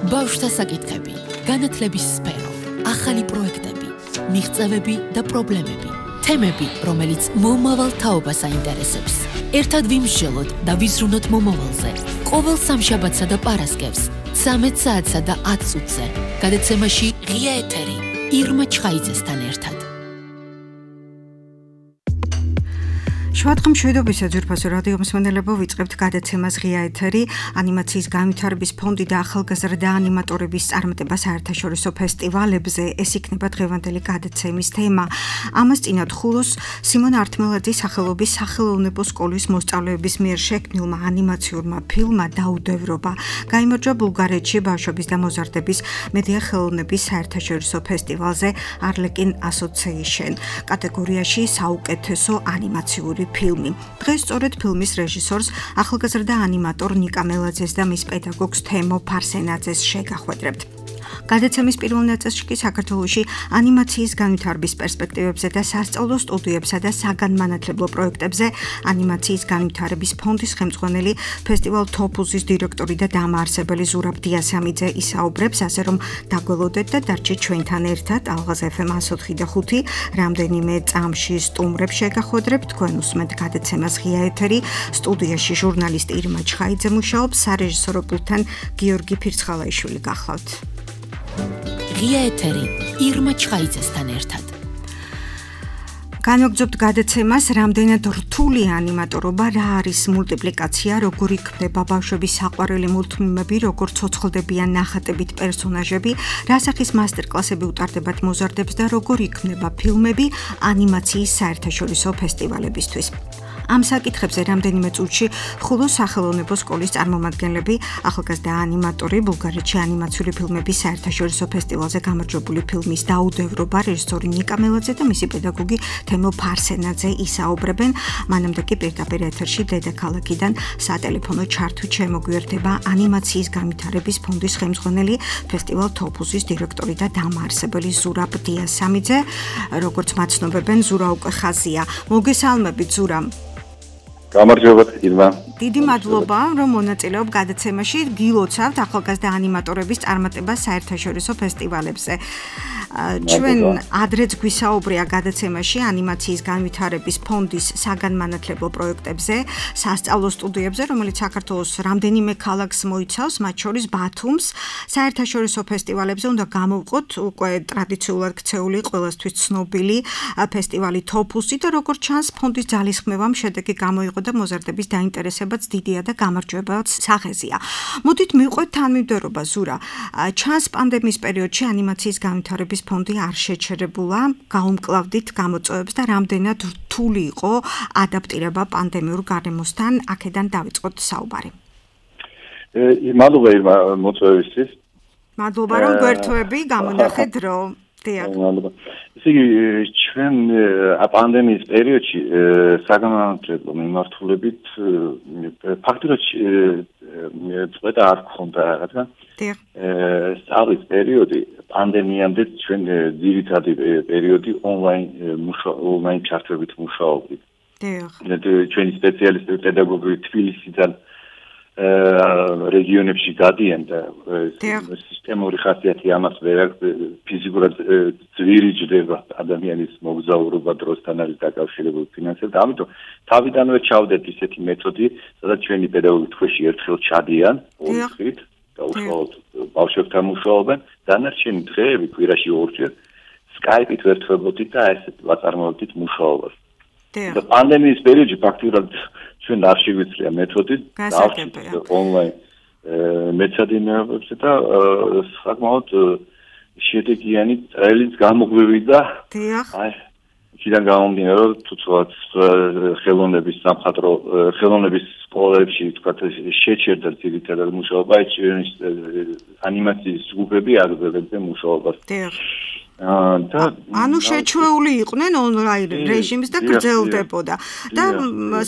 ბავშვთა საკითხები, განათლების სფერო, ახალი პროექტები, მიღწევები და პრობლემები, თემები, რომელიც მომავალ თაობას აინტერესებს. ერთად ვიმსჯელოთ და ვიზრუნოთ მომავალზე. ყოველ სამშაბათსა და პარასკევს, 13 საათსა და 10 წუთზე. გადაცემაში ღია ეთერი, ირმა ჩხაიძესთან ერთად. შუადღე მშვიდობისა ძვირფასო რადიო მსმენელებო, ვიწყებთ გადაცემას ღია ეთერი, ანიმაციის განვითარების ფონდი და ახალგაზრდა ანიმატორების წარმატება საერთაშორისო ფესტივალებზე. ეს იქნება დღევანდელი გადაცემის თემა. ამას წინათ ხულოს სიმონ ართმელაძის სახელობის სახელოვნებო სკოლის მოსწავლეების მიერ შექმნილმა ანიმაციურმა ფილმმა დაუდევრობა გაიმარჯვა ბულგარეთში ბავშვების და მოზარდების მედია ხელოვნების საერთაშორისო ფესტივალზე Arlekin Association კატეგორიაში საუკეთესო ანიმაციური ფილმი. დღეს სწორედ ფილმის რეჟისორს, ახალგაზრდა ანიმატორ ნიკა მელაძეს და მის პედაგოგს თემო ფარსენაძეს შეგახვედრებთ. გადაცემის პირველ ნაწილში კი საქართველოში ანიმაციის განვითარების პერსპექტივებზე და სასწავლო სტუდიებსა და საგანმანათლებლო პროექტებზე ანიმაციის განვითარების ფონდის ხელმძღვანელი ფესტივალ თოფუზის დირექტორი და დამაარსებელი ზურაბ დიასამიძე ისაუბრებს, ასე რომ დაგველოდეთ და დარჩეთ ჩვენთან ერთად. ალღაზ FM 104.5 რამდენიმე წამში სტუმრებს შეგახვედრებთ. თქვენ უსმენთ გადაცემას ღია ეთერი. სტუდიაში ჟურნალისტი ირმა ჩხაიძე მუშაობს, სარეჟისორო პულტთან გიორგი ფირცხალაიშვილი გახლავთ. ღია ეთერი ირმა ჩხაიძესთან ერთად. განვაგრძობთ გადაცემას, რამდენად რთული ანიმატორობა, რა არის მულტიპლიკაცია, როგორ იქმნება ბავშვების საყვარელი მულტფილმები, როგორ ცოცხლდებიან ნახატებით პერსონაჟები, რა სახის მასტერკლასები უტარდებათ მოზარდებს და როგორ იქმნება ფილმები ანიმაციის საერთაშორისო ფესტივალებისთვის. ამ საკითხებზე რამდენიმე წუთში ხულოს სახელოვნებო სკოლის წარმომადგენლები, ახალგაზრდა ანიმატორი, ბულგარეთში ანიმაციური ფილმების საერთაშორისო ფესტივალზე გამარჯვებული ფილმის დაუდევრობა რეჟისორი ნიკა მელაძე და მისი პედაგოგი თემო ფარსენაძე ისაუბრებენ. მანამდე კი პირდაპირ ეთერში დედაქალაქიდან სატელეფონო ჩართვით შემოგვიერთება ანიმაციის განვითარების ფონდის ხელმძღვანელი ფესტივალ თოფუზის დირექტორი და დამაარსებელი ზურაბ დიასამიძე. როგორც მაცნობებენ, ზურა უკვე ხაზია. მოგესალმებით, ზურა. გამარჯობათ, ირმა. დიდი მადლობა, რომ მონაწილეობ გადაცემაში. გილოცავთ ახალგაზრდა ანიმატორების წარმატება საერთაშორისო ფესტივალებზე. ჩვენ ადრეც გვისაუბრია გადაცემაში ანიმაციის განვითარების ფონდის საგანმანათლებლო პროექტებზე, სასწავლო სტუდიებზე, რომელიც საქართველოს რამდენიმე ქალაქს მოიცავს, მათ შორის ბათუმს. საერთაშორისო ფესტივალებზე უნდა გამოვყოთ უკვე ტრადიციულად ქცეული, ყველასთვის ცნობილი ფესტივალი თოფუსი და როგორც ჩანს, ფონდის ძალისხმევამ შედეგი გამოიღო და მოზარდების დაინტერესებაც დიდია და გამარჯვებაც სახეზია. მოდით მივყვეთ თანმიმდევრობა, ზურა. ჩანს პანდემიის პერიოდში ანიმაციის განვითარების ფონდი არ შეჩერებულა, გაუმკლავდით გამოწვევებს და რამდენად რთული იყო ადაპტირება პანდემიურ გარემოსთან, აქედან დავიწყოთ საუბარი. მადლობა ირმა მოწვევისთვის. მადლობა რომ გვერთვები, გამონახეთ დრო. მადლობა. ესე იგი, ჩვენ პანდემიის პერიოდში საგანმანათლებლო მიმართულებით ფაქტობრივად წვედა არ გქონდა, რადგან სწავლის პერიოდი პანდემიამდე ჩვენ ძირითადი პერიოდი ონლაინ ჩართვებით მუშაობდით. ჩვენი სპეციალისტები პედაგოგი თბილისიდან რეგიონებში გადიან და სისტემური ხასიათი ამას ვერ აქვს, ფიზიკურად ძვირი ჯდება ადამიანის მოგზაურობა დროსთან არის დაკავშირებული ფინანსებით. ამიტომ თავიდანვე ჩავდეთ ისეთი მეთოდი, სადაც ჩვენი პედაგოგი თვეში ერთხელ ჩადიან, ორი დღით და უშუალოდ ბავშვებთან მუშაობენ. დანარჩენი დღეები კვირაში ორჯერ სკაიპით ვერთვებოდით და ესეთ ვაწარმოებდით მუშაობას. და პანდემიის პერიოდში ფაქტობრივად ჩვენ არ შეგვიძლია მეთოდი დავჭიროთ ონლაინ მეცადინეობებზე და საკმაოდ შედეგიანი ტრეილინგ გამოგვივიდა. აი, იქიდან გამომდინარე, რომ თუცვაც ხელოვნების სამხატვრო ხელოვნების სკოლებში თქვათ შეჩერდა ძირითადად მუშაობა, ანიმაციის ჯგუფები აგრძელებდნენ მუშაობას. ანუ შეჩვეული იყვნენ ონლაინ რეჟიმს და გრძელდებოდა. და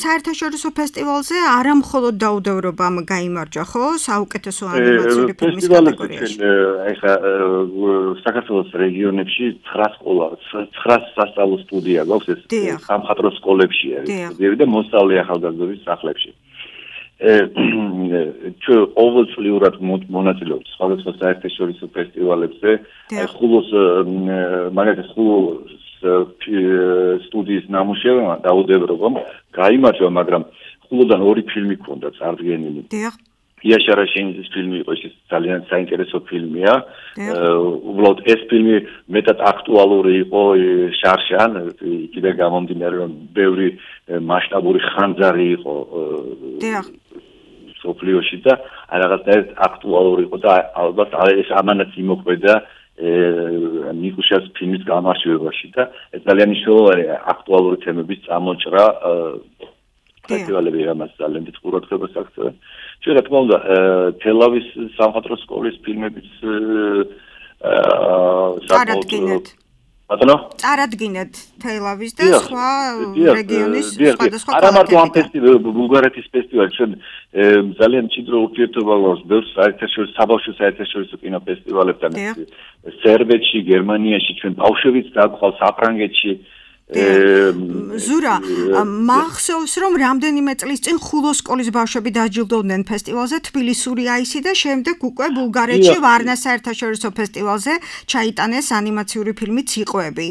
საერთაშორისო ფესტივალზე არა მხოლოდ დაუდევრობამ გაიმარჯვა, ხო? საუკეთესო ანიმაციური ფილმის კატეგორიაში. ეხლა საქართველოს რეგიონებში 9 სასწავლო სტუდია გვაქვს, ეს სამხატვრო სკოლებშია, და მოსწავლე ახალგაზრდობის სახლებში. ჩვენ ყოველწლიურად მონაწილეობთ სხვადასხვა საერთაშორისო ფესტივალებზე. ხულოს მაგალითად ხულოს სტუდიის ნამუშევრმა დაუდევრობამ გაიმარჯვა, მაგრამ ხულოდან 2 ფილმი ჰქონდა წარდგენილი. იაშა რაშენიძის ფილმი იყო, ეს ძალიან საინტერესო ფილმია. უბრალოდ ეს ფილმი მეტად აქტუალური იყო შარშან, იქიდან გამომდინარე, რომ ბევრი მასშტაბური ხანძარი იყო სოფლიოში და რაღაცნაირად აქტუალური იყო და ალბათ ეს ამანაც იმოქმედა ნიკუშას ფილმის გამარჯვებაში და ეს ძალიან მნიშვნელოვანი აქტუალური თემების წამოჭრა ფესტივალები ამას ძალიან დიდ ყურადღებას აქცევენ. ჩვენ რა თქმა უნდა თელავის სამხატვრო სკოლის ფილმების წარადგინეთ თელავის და სხვა რეგიონის სხვადასხვა არა მარტო ამ ფესტივალს, ბულგარეთის ფესტივალს, ჩვენ ძალიან მჭიდრო ურთიერთობა გვაქვს ბევრ საერთაშორისო საბავშვო საერთაშორისო კინოფესტივალებთან, სერბეთში, გერმანიაში, ჩვენ ბავშვებიც დაგვყავს საფრანგეთში. ზურა, მახსოვს რომ რამდენიმე წლის წინ ხულოს სკოლის ბავშვები დაჯილდოვდნენ ფესტივალზე თბილისური აისი და შემდეგ უკვე ბულგარეთში ვარნას საერთაშორისო ფესტივალზე ჩაიტანეს ანიმაციური ფილმი ციყვები.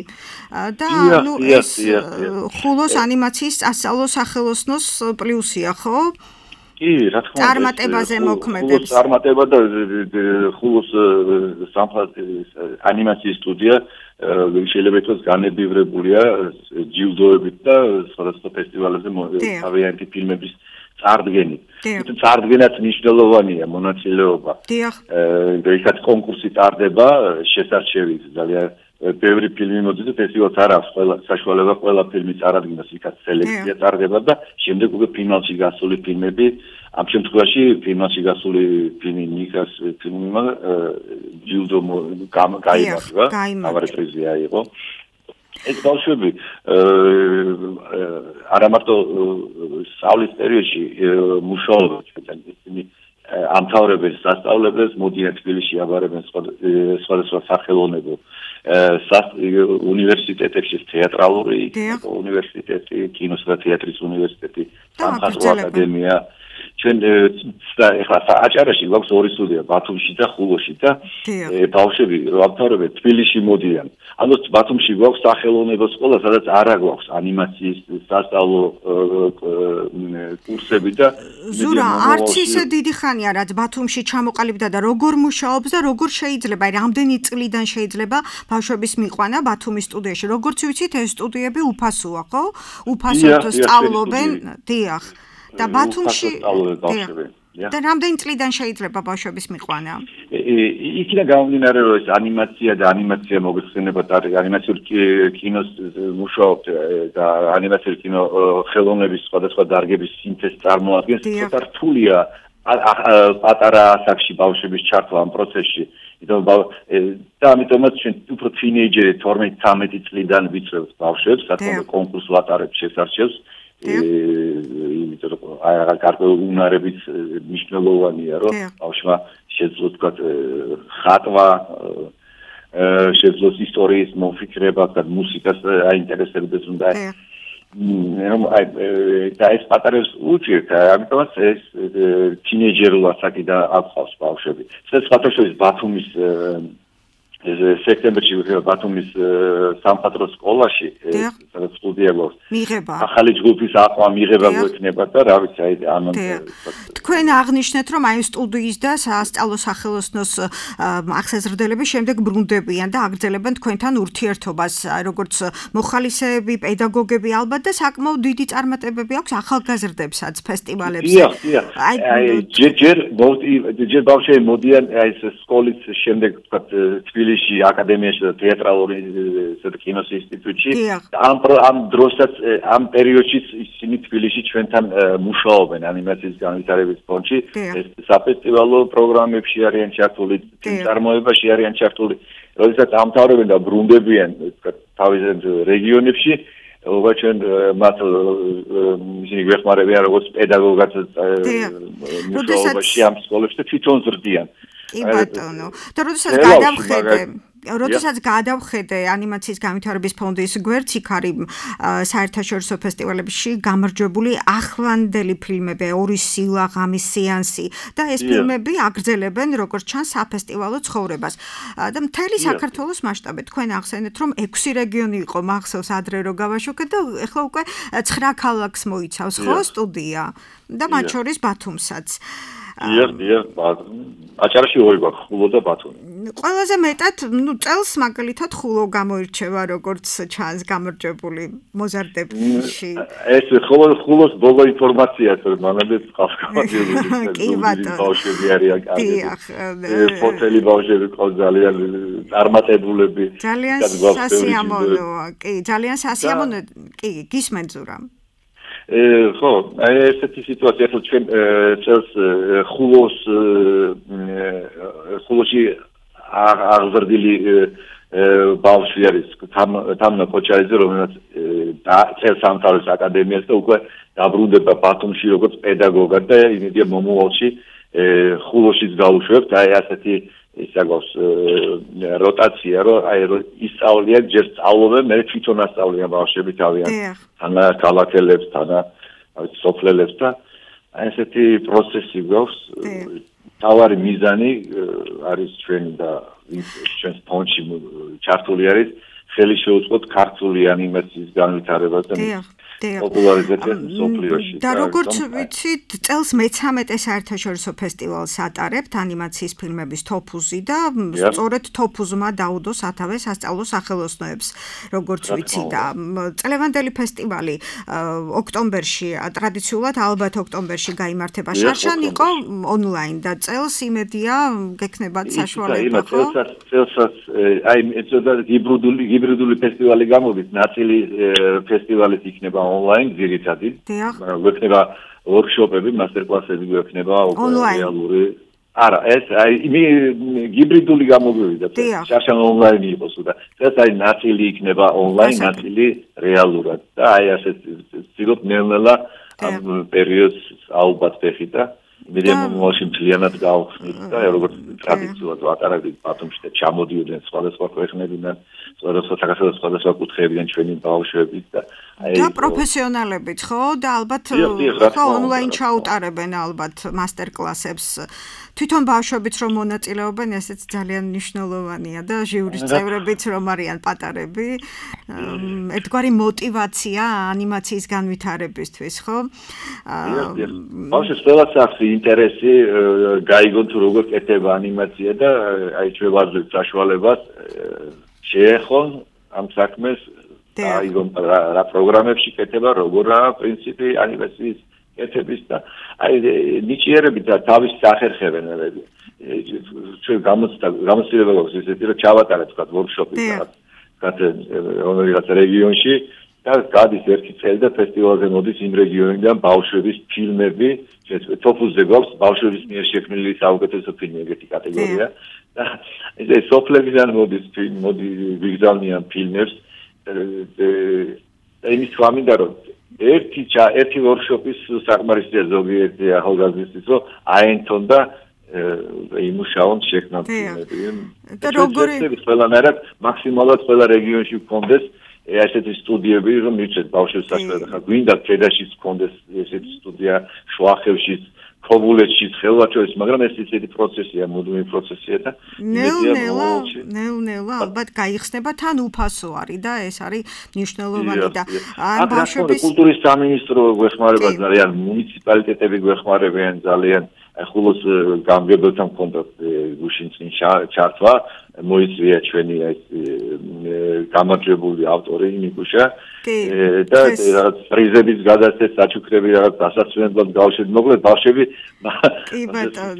და ნუ ეს ხულოს ანიმაციის სასწავლო სახელოსნოს პლუსია, ხო? კი, რა თქმა უნდა. წარმატებაზე მოქმედებს. წარმატება და ხულოს ანიმაციის სტუდია შეიძლება ითქვას განებივრებულია ჯილდოებით და სხვადასხვა ფესტივალებზე თავიანთი ფილმების წარდგენით. წარდგენაც მნიშვნელოვანია მონაწილეობა. იქაც კონკურსი ტარდება, შესარჩევი ძალიან ბევრი ფილმი მოდის და ფესტივალს არ აქვს საშუალება ყველა ფილმი წარადგინოს, იქაც სელექცია ტარდება და შემდეგ უკვე ფინალში გასული ფილმები, ამ შემთხვევაში ფინალში გასული ფილმი ნიკას ფილმმა ჯილდო გაიმარჯვა, თავარი პრიზი აიღო. ეს ბავშვები არა მარტო სწავლის პერიოდში მუშაობენ, ისინი ამთავრებენ სასწავლებელს, მოდიან თბილისში აბარებენ სხვადასხვა სახელოვნებო უნივერსიტეტებში, თეატრალური უნივერსიტეტი, კინოს და თეატრის უნივერსიტეტი, სამხატვრო აკადემია. ჩვენ ეხლა აჭარაში გვაქვს 2 სტუდია, ბათუმში და ხულოში და ბავშვები რომ ამთავრებენ თბილისში მოდიან. ანუ ბათუმში გვაქვს სახელოვნებო სკოლა, სადაც არა გვაქვს ანიმაციის სასწავლო კურსები და ზურა, არც ისე დიდი ხანია, რაც ბათუმში ჩამოყალიბდა და როგორ მუშაობს და როგორ შეიძლება, რამდენი წლიდან შეიძლება ბავშვების მიყვანა ბათუმის სტუდიაში. როგორც ვიცით, ეს სტუდიები უფასოა, ხო? უფასოდ სწავლობენ, დიახ. და ბათუმში და რამდენი წლიდან შეიძლება ბავშვების მიყვანა? იქიდან გამომდინარე, რომ ეს ანიმაცია და ანიმაცია მოგეხსენება და ანიმაციური კინოს მუშაობთ და ანიმაციური კინო ხელოვნების სხვადასხვა დარგების სინთეზს წარმოადგენს, ცოტა რთულია პატარა ასაკში ბავშვების ჩართვა ამ პროცესში. და ამიტომაც ჩვენ უფრო თინეიჯერი 12-13 წლიდან ვიცრევთ ბავშვებს, რადგან კონკურს ვატარებთ შესარჩევს. იმიტომ რომ გარკვეული უნარებით მნიშვნელოვანია, რომ ბავშვმა შეძლოს თქვათ ხატვა, შეძლოს ისტორიის მომფიქრება და მუსიკას აინტერესებდეს უნდა და ეს პატარებს უჭირთ, ამიტომაც ეს თინეიჯერულ ასაკიდან აკყავს ბავშვები. სხვათა შორის ბათუმის სექტემბერში ბათუმის სამხატვრო სკოლაში სადაც სტუდია გვაქვს. ახალი ჯგუფის აყვა მიღება გვექნება და რა ვიცი, აი ამაზე. თქვენ აღნიშნეთ, რომ აი სტუდიის და სასწავლო სახელოსნოს აღსაზრდელები შემდეგ ბრუნდებიან და აგრძელებენ თქვენთან ურთიერთობას, როგორც მოხალისეები, პედაგოგები ალბათ და საკმაოდ დიდი წარმატებები აქვს ახალგაზრდებსაც ფესტივალებზე. აი ჯერ ბავშვები მოდიან აი ეს სკოლის შემდეგ თქვათ თბილისში აკადემიაში და თეატრალური კინოს ინსტიტუტში. ამ დროსაც ამ პერიოდში ისინი თბილისში ჩვენთან მუშაობენ ანიმაციის განვითარების ფონდში. ეს საფესტივალო პროგრამებში არიან ჩართული, წარმოებაში არიან ჩართული. როდესაც ამთავრებენ და ბრუნდებიან თავის რეგიონებში, ჩვენ მათ ისინი გვეხმარებიან როგორც პედაგოგად მუშაობაში ამ სკოლებში და თვითონ ზრდიან. კი ბატონო. და როდესაც გადავხედე როდესაც გადავხედე ანიმაციის განვითარების ფონდის გვერდს, იქ არის საერთაშორისო ფესტივალებში გამარჯვებული ახლანდელი ფილმები, ორი სილა, ღამის სეანსი და ეს ფილმები აგრძელებენ როგორც ჩანს საფესტივალო ცხოვრებას. და მთელი საქართველოს მასშტაბით თქვენ ახსენეთ, რომ 6 რეგიონი იყო მახსოვს ადრე რო გავაშუქეთ და ეხლა უკვე 9 ქალაქს მოიცავს ხო სტუდია და მათ შორის ბათუმსაც. აჭარაში ორი გვაქვს, ხულო და ბათუმი. ყველაზე მეტად, წელს მაგალითად ხულო გამოირჩევა როგორც ჩანს გამარჯვებული მოზარდებში. ეს ხულოს ბოლო ინფორმაციაა, რომ მანამდე ყავკავადიები. კი ბატონო. ბავშვები არიან კარგი. ფოტელი ბავშვები ყავს ძალიან წარმატებულები. ძალიან სასიამოვნოა, კი, ძალიან სასიამოვნო, კი, გისმენთ ზურამ. ხო, ესეთი სიტუაცია ხო ჩვენ წელს ხულოში აღზრდილი ბავშვი არის თამნა კოჩაიძე, რომელიც წელს ამთავრებს აკადემიას და უკვე დაბრუნდება ბათუმში როგორც პედაგოგად და იმედია მომავალში ხულოშიც გაუშვებთ, აი ასეთი ისაგოს როტაცია, რომ ისწავლიან, ჯერ სწავლობენ, მე თვითონ ასწავლიან ბავშვები თავიანთ თანა ქალაქელებს, თანა სოფლელებს და აი ესეთი პროცესი გვაქვს. თავარი მიზანი არის ჩვენ და ჩვენს ფონდში ჩართული არის ხელი შეუწყოთ ქართული ანიმაციის განვითარებას და პოპულარიზაციას სოფლიოში. და როგორც ვიცით, წელს მე-13 საერთაშორისო ფესტივალს ატარებთ ანიმაციის ფილმების თოფუზი და სწორედ თოფუზმა დაუდო სათავეს სასწავლო სახელოსნოებს, როგორც ვიცი და წლევანდელი ფესტივალი ოქტომბერში, ტრადიციულად ალბათ ოქტომბერში გაიმართება. შარშან იყო ონლაინ და წელს იმედია გექნებათ საშუალება, ხო? წელსაც აი ეცოდა ჰიბრიდული ფესტივალი გამოვით, ნაწილი ფესტივალის იქნება online ძირითადად. გვექნება workshop-ები, master-class-ები გვექნება რეალური. არა, ეს აი ჰიბრიდული გამოგვივიდა. შარშან online იყოს და ეს აი ნაწილი იქნება online, ნაწილი რეალურად. და აი ასეთ ვცდილობ ნელ-ნელა ამ პერიოდს ალბათ ვეხით და იმედია მომავალში მთლიანად გავხსნით და როგორც ტრადიციულად ვატარებდით ბათუმში და ჩამოდიოდნენ სხვადასხვა ქვეყნებიდან, სხვადასხვა კუთხეებიდან ჩვენი ბავშვები და და პროფესიონალებიც ხო და ალბათ ხო ონლაინ ჩაუტარებენ ალბათ მასტერ-კლასებს. თვითონ ბავშვებიც რომ მონაწილეობენ, ესეც ძალიან მნიშვნელოვანია და ჟიურის წევრებიც რომ არიან პატარები. ერთგვარი мотиваცია ანიმაციის განვითარებისთვის, ხო? ბავშვებს ყველას აქვს ინტერესი გაიგონ თუ როგორ კეთდება ანიმაცია და აი ჩვენ ვაძლევთ საშუალებას შეეხონ ამ საქმეს აიგონ რა პროგრამებში კეთება, როგორაა პრინციპი ანიმაციის კეთების და აი ნიჭიერები და თავის სახერხებენ ჩვენ გამოცდილება გვაქვს ისეთი რომ ჩავატარეთ თქვა workshop-ი რაღაც რეგიონში და გადის ერთი წელი და ფესტივალზე მოდის იმ რეგიონიდან ბავშვების ფილმები, თოფუზზე გვაქვს ბავშვების მიერ შექმნილი საუკეთესო ფილმი ეგეთი კატეგორია და ეს სოფლებიდან მოდის ვიგზავნიან ფილმებს და იმის თქმა მინდა რომ ერთი workshop-ის საკმარისია ზოგიერთი ახალგაზრდისთვის, რომ აენთონ და იმუშაონ შექმნან ფილმები. და როგორი ყველანაირად მაქსიმალურად ყველა რეგიონში გქონდეს ესეთი სტუდიები, რომ მივცეთ ბავშვებს საშუალება. ხა გვინდა ქედაშიც გქონდეს ესეთი სტუდია, შუახევშიც, ქობულეთშიც, ხელვაჩოვის, მაგრამ ეს ისეთი პროცესია, მუდმივი პროცესია და ნელ-ნელა ალბათ გაიხსნება, თან უფასო არის და ეს არის მნიშვნელოვანი და ამ ბავშვების კულტურის სამინისტრო გვეხმარება ძალიან, მუნიციპალიტეტები გვეხმარებიან ძალიან. ხულოს გამგებელთან კონტაქტ გუშინ წინ ჩართვა მოიწვია ჩვენი ეს გამარჯვებული ავტორი ნიკუშა და რაღაც პრიზების გადაცემა საჩუქრები რაღაც დასასვენებლად გავშვით მოკლედ ბავშვები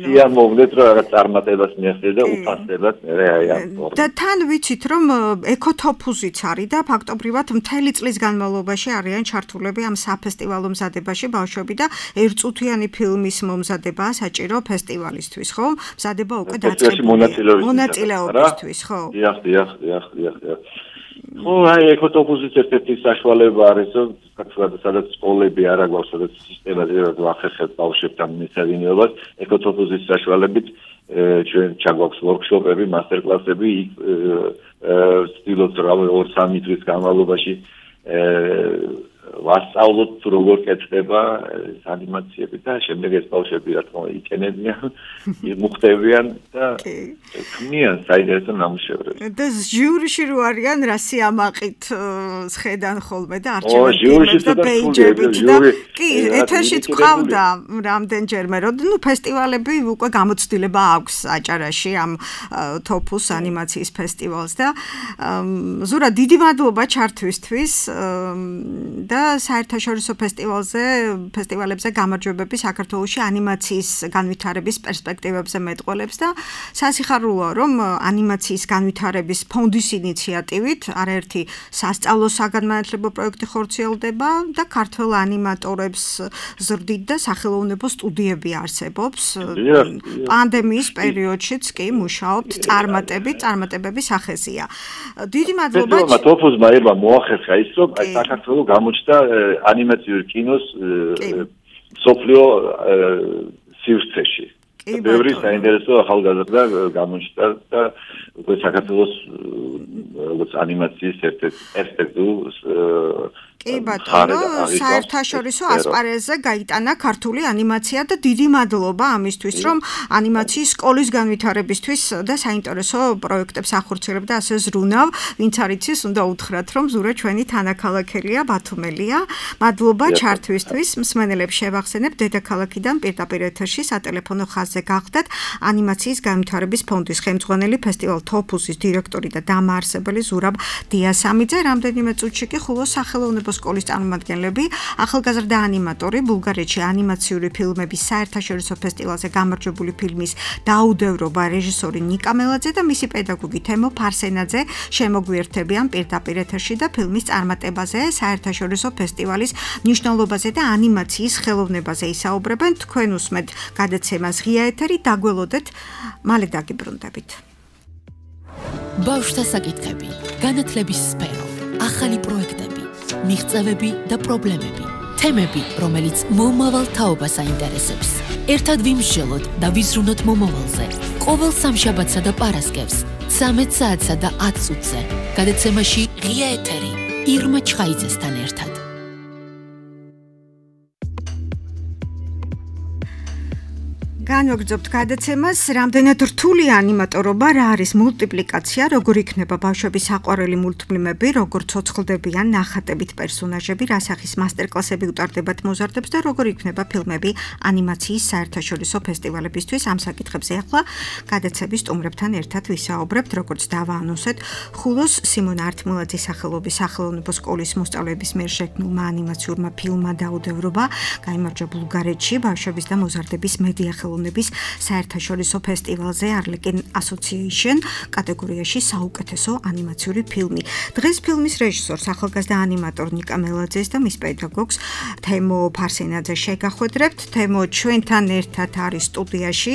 სიამოვნეთ რომ რაღაც წარმატებას მიაღწია და უფასებად და თან ვიცით რომ ეკოთოფუზიც არის და ფაქტობრივად მთელი წლის განმავლობაში არიან ჩართულები ამ საფესტივალო მზადებაში ბავშვები და ერთწუთიანი ფილმის მომზადება საჭირო ფესტივალისთვის ხო მზადება უკვე დაწყებულია მონაწილეობისთვის ხო დიახ ხო აი ეკოთოფუზის ერთ-ერთი საშუალება არის რომ სადაც სკოლები არ აქვს სადაც სისტემაზე ვახერხებთ ბავშვებთან მისადინეობას ეკოთოფუზის საშუალებით ჩვენ ჩაგვაქვს ვორქშოპები, მასტერკლასები, ვცდილობთ 2-3 თვის განმავლობაში ვასწავლოთ თუ როგორ კეთდება ანიმაციები და შემდეგ ეს ბავშვები რა თქმა უნდა იყენებიან, იმუხტებიან და ქმნიან საინტერესო ნამუშევრებს. და ჟიურიში რო არიან რა სიამაყით ხედან ხოლმე და არჩევენ და პეიჯებით და კი ეთერში თქვავდა რამდენჯერმე რომ ნუ ფესტივალები უკვე გამოცდილება აქვს აჭარაში ამ თოფუს ანიმაციის ფესტივალს და ზურა დიდი მადლობა ჩართვისთვის და საერთაშორისო ფესტივალებზე გამარჯვებები საქართველოში ანიმაციის განვითარების პერსპექტივებზე მეტყველებს და სასიხარულოა რომ ანიმაციის განვითარების ფონდის ინიციატივით არაერთი სასწავლო საგანმანათლებლო პროექტი ხორციელდება და ქართველ ანიმატორებს ზრდით და სახელოვნებო სტუდიები არსებობს პანდემიის პერიოდშიც კი მუშაობთ წარმატებების სახეზია დიდი მადლობა თოფუსმა ერმა მოახერხა ის რომ საქართველოს გამოჩნდა ანიმაციური კინოს სოფლიო სივრცეში. ბევრი საინტერესო ახალგაზრდა გამოჩნდა და უკვე საქართველოს როგორც ანიმაციის ერთ-ერთი პერსპექტივის კი ბატონო, საერთაშორისო ასპარეზზე გაიტანა ქართული ანიმაცია და დიდი მადლობა ამისთვის, რომ ანიმაციის სკოლის განვითარებისთვის და საინტერესო პროექტებს ახორციელებდა ასე ზრუნავ, ვინც არ იცის, უნდა უთხრათ, რომ ზურა ჩვენი თანაქალაქელია, ბათუმელია. მადლობა ჩართვისთვის, მსმენელებს შევახსენებ, დედაქალაქიდან პირდაპირ ეთერში სატელეფონო ხაზზე გახდათ ანიმაციის განვითარების ფონდის ხელმძღვანელი ფესტივალ თოფუსის დირექტორი და დამაარსებელი ზურაბ დიასამიძე. რამდენიმე წუთში კი ხულოს სახელოვნებო სკოლის წარმომადგენლები, ახალგაზრდა ანიმატორი, ბულგარეთში ანიმაციური ფილმების საერთაშორისო ფესტივალზე გამარჯვებული ფილმის დაუდევრობა რეჟისორი ნიკა მელაძე და მისი პედაგოგი თემო ფარსენაძე შემოგვიერთებიან პირდაპირ ეთერში და ფილმის წარმატებაზე, საერთაშორისო ფესტივალის მნიშვნელობაზე და ანიმაციის ხელოვნებაზე ისაუბრებენ. თქვენ უსმენთ გადაცემას ღია ეთერი, დაგველოდეთ, მალე დაგიბრუნდებით. ბავშვთა საკითხები, განათლების სფერო, ახალი პროექტები, მიღწევები და პრობლემები, თემები, რომელიც მომავალ თაობას აინტერესებს. ერთად ვიმსჯელოთ და ვიზრუნოთ მომავალზე. ყოველ სამშაბათსა და პარასკევს, 13 საათსა და 10 წუთზე. გადაცემაში ღია ეთერი, ირმა ჩხაიძესთან ერთად. განვაგრძობთ გადაცემას, რამდენად რთული ანიმატორობა, რა არის მულტიპლიკაცია, როგორ იქნება ბავშვების საყვარელი მულტფილმები, როგორ ცოცხლდებიან ნახატებით პერსონაჟები, რა სახის მასტერკლასები უტარდებათ მოზარდებს და როგორ იქნება ფილმები ანიმაციის საერთაშორისო ფესტივალებისთვის. ამ საკითხებზე ახლა გადაცემის სტუმრებთან ერთად ვისაუბრებთ, როგორც დავაანონსეთ, ხულოს სიმონ ართმილაძის სახელობის სახელოვნებო სკოლის მოსწავლეების მიერ შექმნილმა ანიმაციურმა ფილმმა დაუდევრობა გაიმარჯვა ბულგარეთში ბავშვების და მოზარდების მედია ხელოვნების საერთაშორისო ფესტივალზე Arlequin Association კატეგორიაში საუკეთესო ანიმაციური ფილმი. დღეს ფილმის რეჟისორს ახალგაზრდა ანიმატორ ნიკა მელაძეს და მის პედაგოგს თემო ფარსენაძეს შეგახვედრებთ. თემო ჩვენთან ერთად არის სტუდიაში,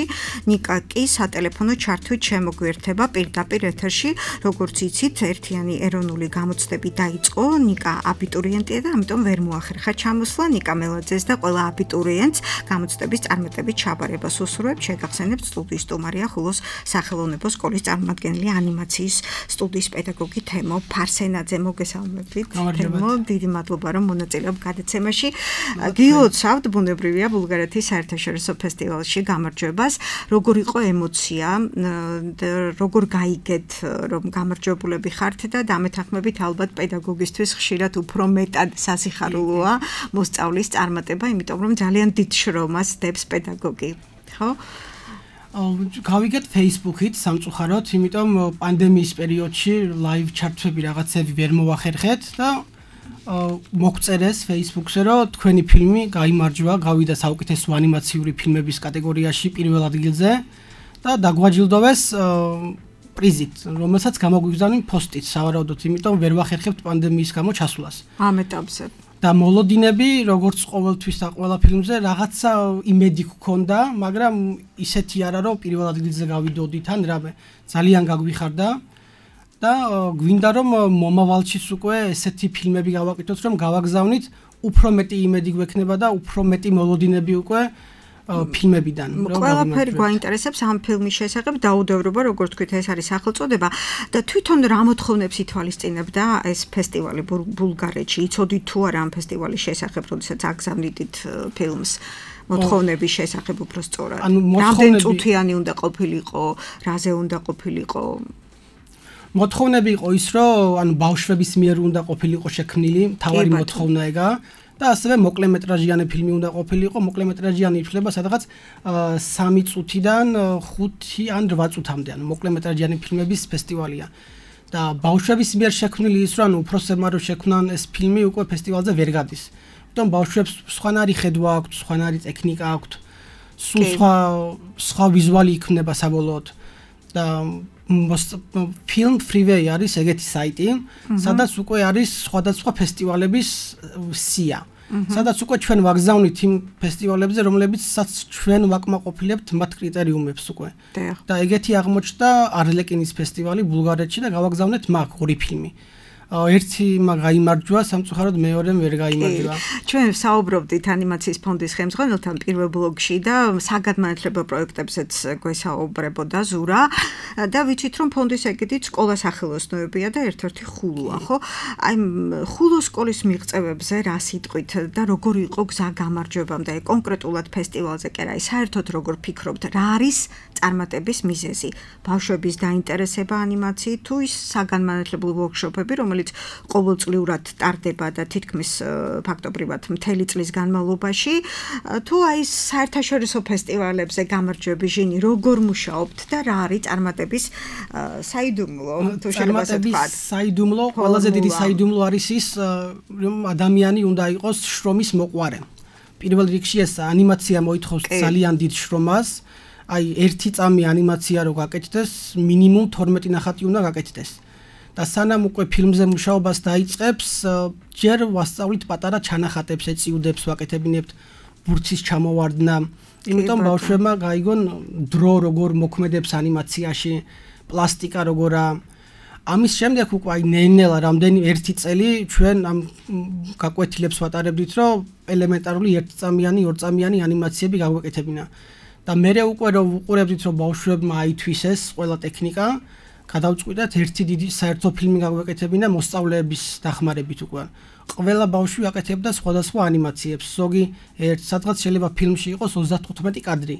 ნიკა კი სატელეფონო ჩართვით შემოგვიერთება პირდაპირ ეთერში. როგორც იცით, ერთიანი ეროვნული გამოცდები დაიწყო. ნიკა აბიტურიენტია და ამიტომ ვერ მოახერხა ჩამოსვლა. ნიკა მელაძეს და ყველა აბიტურიენტს გამოცდების წარმატებით ჩაბარებას უსურვებთ. შეგახსენებთ, სტუდიის სტუმარია ხულოს სახელოვნებო სკოლის წარმომადგენელი ანიმაციის სტუდიის პედაგოგი თემო ფარსენაძე. მოგესალმებით. თემო, დიდი მადლობა რომ მონაწილეობ გადაცემაში. გილოცავთ, ბუნებრივია ბულგარეთის საერთაშორისო ფესტივალში გამარჯვებას. როგორ იყო ემოცია, როგორ გაიგეთ რომ გამარჯვებულები ხართ და დამეთანხმებით ალბათ პედაგოგისთვის ხშირად უფრო მეტად სასიხარულოა მოსწავლის წარმატება, იმიტომ რომ ძალიან დიდ შრომას დებს პედაგოგი. ხო? გავიგეთ Facebook-ით სამწუხაროდ, იმიტომ პანდემიის პერიოდში live ჩართვები რაღაცები ვერ მოახერხეთ და მოგწერეს Facebook-ზე, რომ თქვენი ფილმი გაიმარჯვა, გავიდა საუკეთესო ანიმაციური ფილმების კატეგორიაში პირველ ადგილზე და დაგვაჯილდოვეს პრიზით, რომელსაც გამოგვიგზავნინ პოსტით, სავარაუდოდ, იმიტომ ვერ ვახერხებთ პანდემიის გამო ჩასვლას. ამ ეტაპზე. და მოლოდინები, როგორც ყოველთვის და ყველა ფილმზე, რაღაცა იმედი გქონდა, მაგრამ ისეთი არა, რომ პირველ ადგილზე გავიდოდით ან რამე ძალიან გაგვიხარდა და გვინდა რომ მომავალშიც უკვე ესეთი ფილმები გავაკეთოთ, რომ გავაგზავნით, უფრო მეტი იმედი გვექნება და უფრო მეტი მოლოდინები უკვე ფილმებიდან. ყველაფერი გვაინტერესებს ამ ფილმის შესახებ, დაუდევრობა, როგორც თქვით, ეს არის სახელწოდება და თვითონ რა მოთხოვნებს ითვალისწინებდა ეს ფესტივალი ბულგარეთში? იცოდით თუ არა ამ ფესტივალის შესახებ, როდესაც აგზავნიდით ფილმს? მოთხოვნების შესახებ უფრო სწორად. რამდენი წუთიანი უნდა ყოფილიყო, რაზე უნდა ყოფილიყო? მოთხოვნები იყო ის, რომ ბავშვების მიერ უნდა ყოფილიყო შექმნილი, თავარი მოთხოვნა ეგა და ასევე მოკლემეტრაჟიანი ფილმი უნდა ყოფილიყო. მოკლემეტრაჟიანი ითვლება სადღაც 3 წუთიდან 5 ან 8 წუთამდე, მოკლემეტრაჟიანი ფილმების ფესტივალია. და ბავშვების მიერ შექმნილი ის, რომ უფროსებმა რო შექმნან ეს ფილმი, უკვე ფესტივალზე ვერ გადის. თუმცა ბავშვებს სხვანაირი ხედვა აქვთ, სხვანაირი ტექნიკა აქვთ, სულ სხვა ვიზუალი იქნება საბოლოოდ. და Film Freeway არის ეგეთი საიტი, სადაც უკვე არის სხვადასხვა ფესტივალების სია. სადაც უკვე ჩვენ ვაგზავნით იმ ფესტივალებზე, რომლებიცაც ჩვენ ვაკმაყოფილებთ მათ კრიტერიუმებს უკვე. და ეგეთი აღმოჩნდა არლეკინის ფესტივალი ბულგარეთში და გავაგზავნეთ მაგ 2 ფილმი. ერთი გაიმარჯვა, სამწუხაროდ მეორემ ვერ გაიმარჯვა. ჩვენ საუბრობდით ანიმაციის ფონდის ხელმძღვანელთან პირველ ბლოგში და საგანმანათლებლო პროექტებზეც გვესაუბრებოდა ზურა და ვიცით რომ ფონდის ეგეთით სკოლა სახელოსნოებია და ერთ-ერთი ხულოა, ხო? აი ხულოს სკოლის მიღწევებზე რა სიტყვით და როგორ იყო გზა გამარჯვებამდე კონკრეტულად ფესტივალზე კი არა, საერთოდ როგორ ფიქრობთ, რა არის წარმატების მიზეზი? ბავშვების დაინტერესება ანიმაციით თუ ის საგანმანათლებლო ვორქშოპები, რომელიც ყოველწლიურად ტარდება და თითქმის ფაქტობრივად მთელი წლის განმავლობაში, თუ აი საერთაშორისო ფესტივალებზე გამარჯვების ჟინი როგორ მუშაობთ და რა არის წარმატების საიდუმლო, თუ შეიძლება ასე ვთქვათ? საიდუმლო, ყველაზე დიდი საიდუმლო არის ის, რომ ადამიანი უნდა იყოს შრომის მოყვარე. პირველ რიგში ეს ანიმაცია მოითხოვს ძალიან დიდ შრომას. აი 1 წამი ანიმაცია რო გაკეთდეს, მინიმუმ 12 ნახატი უნდა გაკეთდეს. და სანამ უკვე ფილმზე მუშაობას დაიწყებს, ჯერ ვასწავლით პატარა ჩანახატებს, ეწიუდებს ვაკეთებინებთ ბურცის ჩამოვარდნა. იმიტომ ბავშვებმა გაიგონ დრო როგორ მოქმედებს ანიმაციაში, პლასტიკა როგორა. ამის შემდეგ უკვე აი ნელ-ნელა რამდენი 1 წელი ჩვენ ამ გაკვეთილებს ვატარებდით, რომ ელემენტარული 1 წამიანი, 2 წამიანი ანიმაციები გაგვეკეთებინა. და მერე უკვე რომ ვუყურებდით, რომ ბავშვებმა აითვისეს ყველა ტექნიკა, გადავწყვიტეთ ერთი დიდი საერთო ფილმი გაგვეკეთებინა მოსწავლეების დახმარებით უკვე. ყველა ბავშვი აკეთებდა სხვადასხვა ანიმაციებს. ზოგი სადღაც შეიძლება ფილმში იყოს 35 კადრი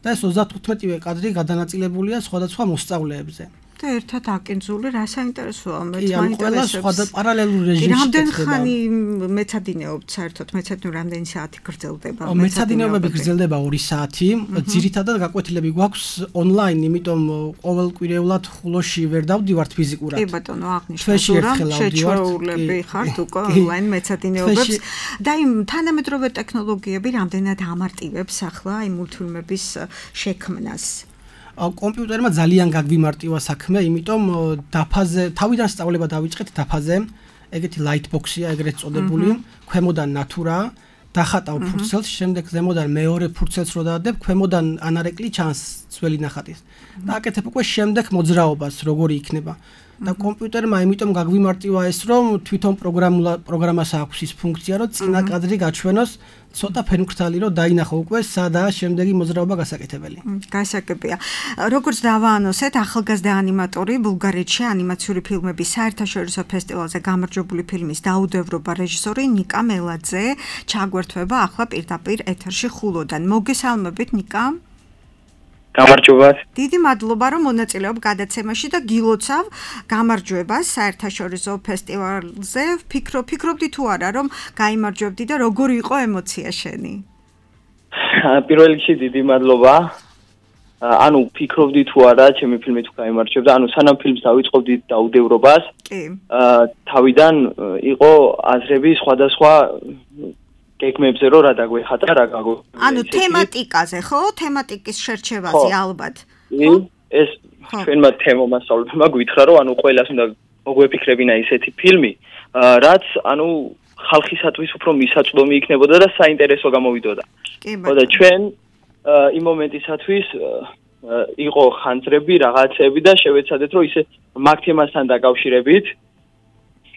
და ეს 35-ვე კადრი გადანაწილებულია სხვადასხვა მოსწავლეებზე. და ერთად აკინძული რა საინტერესოა, მეც მაინტერესებს. ყველა პარალელურ რეჟიმში ხდება. რამდენი ხანი მეცადინეობთ საერთოდ? მეცადინეობა რამდენი საათი გრძელდება? მეცადინეობები გრძელდება 2 საათი. ძირითადად გაკვეთილები გვაქვს ონლაინ, იმიტომ ყოველკვირეულად ხულოში ვერ დავდივართ ფიზიკურად. კი ბატონო, აღნიშნეთ, რომ შეჩვეულები ხართ უკვე ონლაინ მეცადინეობებს. და იმ თანამედროვე ტექნოლოგიები რამდენად ამარტივებს ახლა იმ მულტფილმების შექმნას? კომპიუტერმა ძალიან გაგვიმარტივა საქმე, იმიტომ დაფაზე, თავიდან სწავლება დავიწყეთ დაფაზე, ეგეთი lightbox-ია ეგრეთ წოდებული, ქვემოდან ნატურა, დახატავ ფურცელს, შემდეგ ზემოდან მეორე ფურცელს რო დაადებ, ქვემოდან ანარეკლი ჩანს ძველი ნახატის. და აკეთებ უკვე შემდეგ მოძრაობას, როგორი იქნება. და კომპიუტერმა იმიტომ გაგვიმარტივა ეს, რომ თვითონ პროგრამას აქვს ის ფუნქცია, რომ წინა კადრი გაჩვენოს ცოტა ფერმკრთალი, რომ დაინახო უკვე სადაა შემდეგი მოძრაობა გასაკეთებელი. გასაგებია. როგორც დავაანონსეთ, ახალგაზრდა ანიმატორი ბულგარეთში ანიმაციური ფილმების საერთაშორისო ფესტივალზე გამარჯვებული ფილმის დაუდევრობა რეჟისორი ნიკა მელაძე ჩაგვერთვება ახლა პირდაპირ ეთერში ხულოდან. მოგესალმებით ნიკა. გამარჯობათ. დიდი მადლობა რომ მონაწილეობ გადაცემაში და გილოცავ გამარჯვებას საერთაშორისო ფესტივალზე. ფიქრობდი თუ არა რომ გაიმარჯვებდი და როგორი იყო ემოცია შენი? პირველ რიგში დიდი მადლობა. ანუ ფიქრობდი თუ არა ჩემი ფილმი თუ გაიმარჯვებდა, ანუ სანამ ფილმს დავიწყობდი დაუდევრობას, თავიდან იყო აზრები სხვადასხვა გეგმებზე რომ რა დაგვეხატა რა გაგო. ანუ თემატიკაზე, ხო? თემატიკის შერჩევაზე ალბათ. ეს ჩვენმა თემომასწავლებელმა გვითხრა რომ ანუ ყველას უნდა მოგვეფიქრებინა ისეთი ფილმი, რაც ანუ ხალხისათვის უფრო მისაწვდომი იქნებოდა და საინტერესო გამოვიდოდა. ხო და ჩვენ იმ მომენტისათვის იყო ხანძრები, რაღაცები და შევეცადეთ რომ ისე მაგ თემასთან დაკავშირებით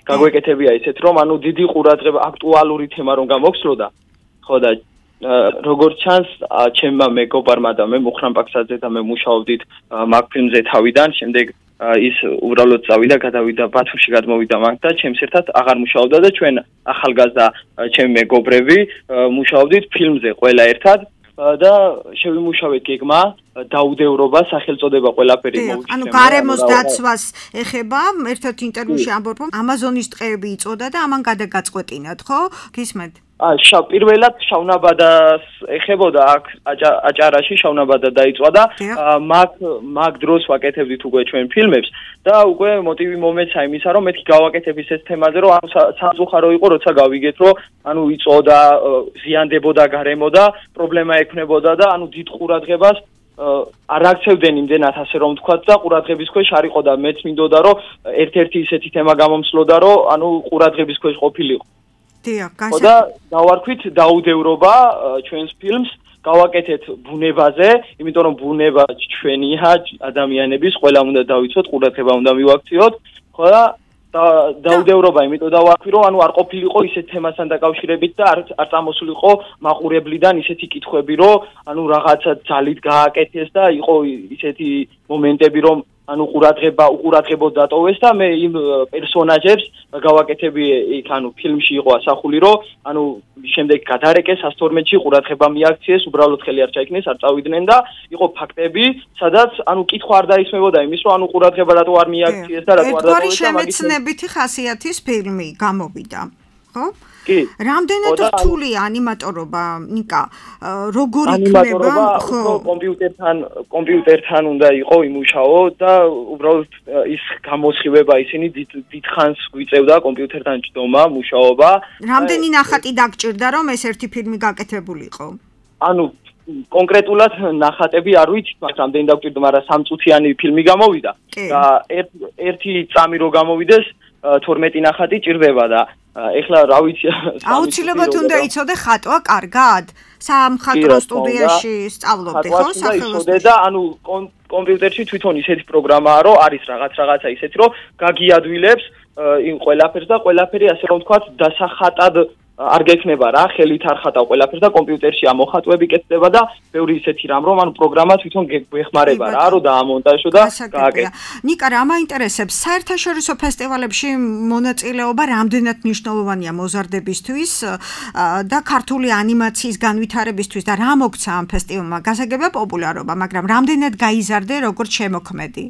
გაგვეკეთებია ისეთ რომ ანუ დიდი ყურადღება აქტუალური თემა რომ გამოგსვლოდა. ხო და როგორც ჩანს, ჩემმა მეგობარმა და მე მუხრან პაქსაძე და მე მუშაობდით მაგ ფილმზე თავიდან, შემდეგ ის უბრალოდ წავიდა, გადავიდა ბათუმში, გადმოვიდა მაგ და ჩემს ერთად აღარ მუშაობდა და ჩვენ ახალგაზრდა ჩემი მეგობრები მუშაობდით ფილმზე ყველა ერთად და შევიმუშავეთ გეგმა, დაუდევრობა, სახელწოდება ყველაფერი მოვიქცევთ. ანუ გარემოს დაცვას ეხება, ერთ-ერთ ინტერვიუში ამბობ, რომ ამაზონის ტყეები იწოდა და ამან გადაგაწყვეტინათ, ხო? გისმენთ? პირველად შავნაბადას ეხებოდა აქ აჭარაში შავნაბადა დაიწვა და მაგ დროს ვაკეთებდით უკვე ჩვენ ფილმებს და უკვე მოტივი მომეცა იმისა რომ მეთქი გავაკეთებ ისეთ თემაზე რომ სამწუხარო იყო როცა გავიგეთ რომ ანუ იწოდა ზიანდებოდა გარემო და პრობლემა ექნებოდა და ანუ დიდ ყურადღებას არ აქცევდნენ იმდენად ასე რომ ვთქვათ და ყურადღების ქვეშ არ იყო და მეც მინდოდა რომ ერთ-ერთი ისეთი თემა გამომსლოდა რომ ანუ ყურადღების ქვეშ ყოფილიყო და დავარქვით დაუდევრობა ჩვენს ფილმს გავაკეთეთ ბუნებაზე, იმიტომ რომ ბუნება ჩვენია ადამიანების, ყველამ უნდა დავიცოთ, ყურადღება უნდა მივაქციოთ, ხო და დაუდევრობა, იმიტომ დავარქვი რომ ანუ არ ყოფილიყო ისეთ თემასთან დაკავშირებით და არ წამოსულიყო მაყურებლიდან ისეთი კითხვები, რომ ანუ რაღაცა ძალით გააკეთეს და იყო ისეთი მომენტები, რომ ანუ უყურადღებოდ დატოვეს და მე იმ პერსონაჟებს გავაკეთები იქ ანუ ფილმში იყო ასახული რომ ანუ შემდეგ გადარეკეს 112-ში ყურადღება მიაქციეს უბრალოდ ხელი არ ჩაიქნეს არ წავიდნენ და იყო ფაქტები სადაც ანუ კითხვა არ დაისმებოდა იმის რომ ანუ ყურადღება რატო არ მიაქციეს და რატო არ დატოვეს და მაგის შემეცნებითი ხასიათის ფილმი გამოვიდა ხო? რამდენად რთულია ანიმატორობა, ნიკა? როგორ იქნება? ხო, კომპიუტერთან უნდა იყო იმუშაო და უბრალოდ ის გამოსხივება ისინი დიდხანს გვიწევდა კომპიუტერთან ჯდომა, მუშაობა. რამდენი ნახატი დაგჭირდა რომ ეს ერთი ფილმი გაკეთებულიყო? ანუ კონკრეტულად ნახატები არ ვიცით, მაგრამ რამდენი დაგჭირდა, მაგრამ 3 წუთიანი ფილმი გამოვიდა და ერთი წამი რო გამოვიდეს 12 ნახატი ჭირდება და ეხლა რა ვიცი აუცილებლად უნდა იცოდე ხატვა კარგად სამხატვრო სტუდიაში სწავლობდი ხო სახელოსნოში და ანუ კომპიუტერში თვითონ ისეთი პროგრამაა რომ არის რაღაცა ისეთი რომ გაგიადვილებს იმ ყველაფერს და ყველაფერი ასე რომ ვთქვათ დასახატად არ გექნება რა ხელით არ ხატავ ყველაფერს და კომპიუტერში ამოხატვები კეთდება და ბევრი ისეთი რამ რომ ანუ პროგრამა თვითონ გვეხმარება რა რომ დაამონტაჟო და გააკეთო. ნიკა რა მაინტერესებს საერთაშორისო ფესტივალებში მონაწილეობა რამდენად მნიშვნელოვანია მოზარდებისთვის და ქართული ანიმაციის განვითარებისთვის და რა მოგცა ამ ფესტივალმა გასაგებია პოპულარობა მაგრამ რამდენად გაიზარდე როგორც შემოქმედი?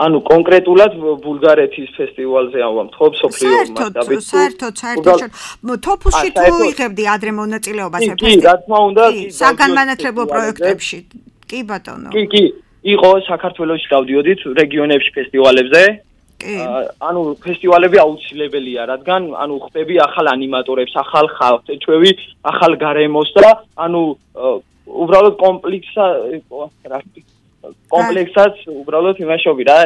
ანუ კონკრეტულად ბულგარეთის ფესტივალზე ამბობ სოფლიო მასშტაბით. საერთოდ თოფუსში თუ იღებდი ადრე მონაწილეობას ფესტივალში? კი, რა თქმა უნდა, საგანმანათლებლო პროექტებში. კი ბატონო. კი, იყო საქართველოში დავდიოდით რეგიონებში ფესტივალებზე. კი. ანუ ფესტივალები აუცილებელია, რადგან ანუ ხდები ახალ ანიმატორებს, ახალ ხალხს, ეჩვევი ახალ გარემოს და ანუ უბრალოდ კომპლექსად უბრალოდ იმაშობი რა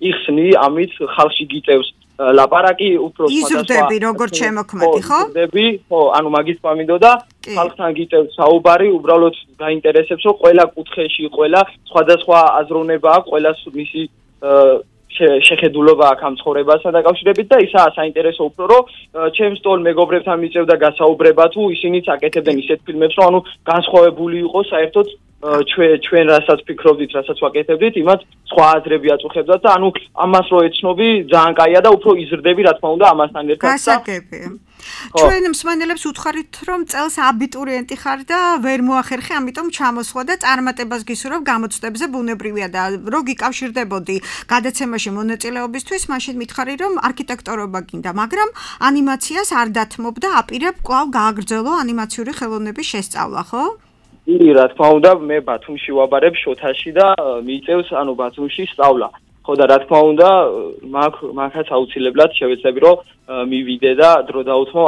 იხსნი ამით ხალხში გიწევს ლაპარაკი უფრო იზრდები როგორც შემოქმედი ხო? იზრდები ხო ანუ მაგის პამინდოდა ხალხთან გიწევს საუბარი უბრალოდ გაინტერესებს რომ ყველა კუთხეში ყველა სხვადასხვა აზროვნება აქვს ყველას მისი შეხედულობა აქვს ამ ცხოვრებასთან დაკავშირებით და ისაა საინტერესო უფრო რომ ჩემს ტოლ მეგობრებთან მიწევდა გასაუბრება თუ ისინიც აკეთებდნენ ისეთ ფილმებს რომ ანუ განსხვავებული იყოს საერთოდ ჩვენ რასაც ფიქრობდით, რასაც ვაკეთებდით, იმათ სხვა აზრები აწუხებდათ და ანუ ამას რო ეცნობი ძალიან კაია და უფრო იზრდები რა თქმა უნდა ამასთან ერთად. გასაგებია. ჩვენ მსმენელებს უთხარით რომ წელს აბიტურიენტი ხარ და ვერ მოახერხე, ამიტომ ჩამოსვლა და წარმატებას გისურვებ გამოცდებზე ბუნებრივია და რო გიკავშირდებოდი გადაცემაში მონაწილეობისთვის, მაშინ მითხარი რომ არქიტექტორობა გინდა, მაგრამ ანიმაციას არ დათმობ და აპირებ კვლავ გააგრძელო ანიმაციური ხელოვნების შესწავლა, ხო? კი, რა თქმა უნდა, მე ბათუმში ვაბარებ შოთაში და მიიწევს ანუ ბათუმში სწავლა. ხო და რა თქმა უნდა, მაგაც აუცილებლად შევეცდები რომ მივიდე და დრო დაუთმო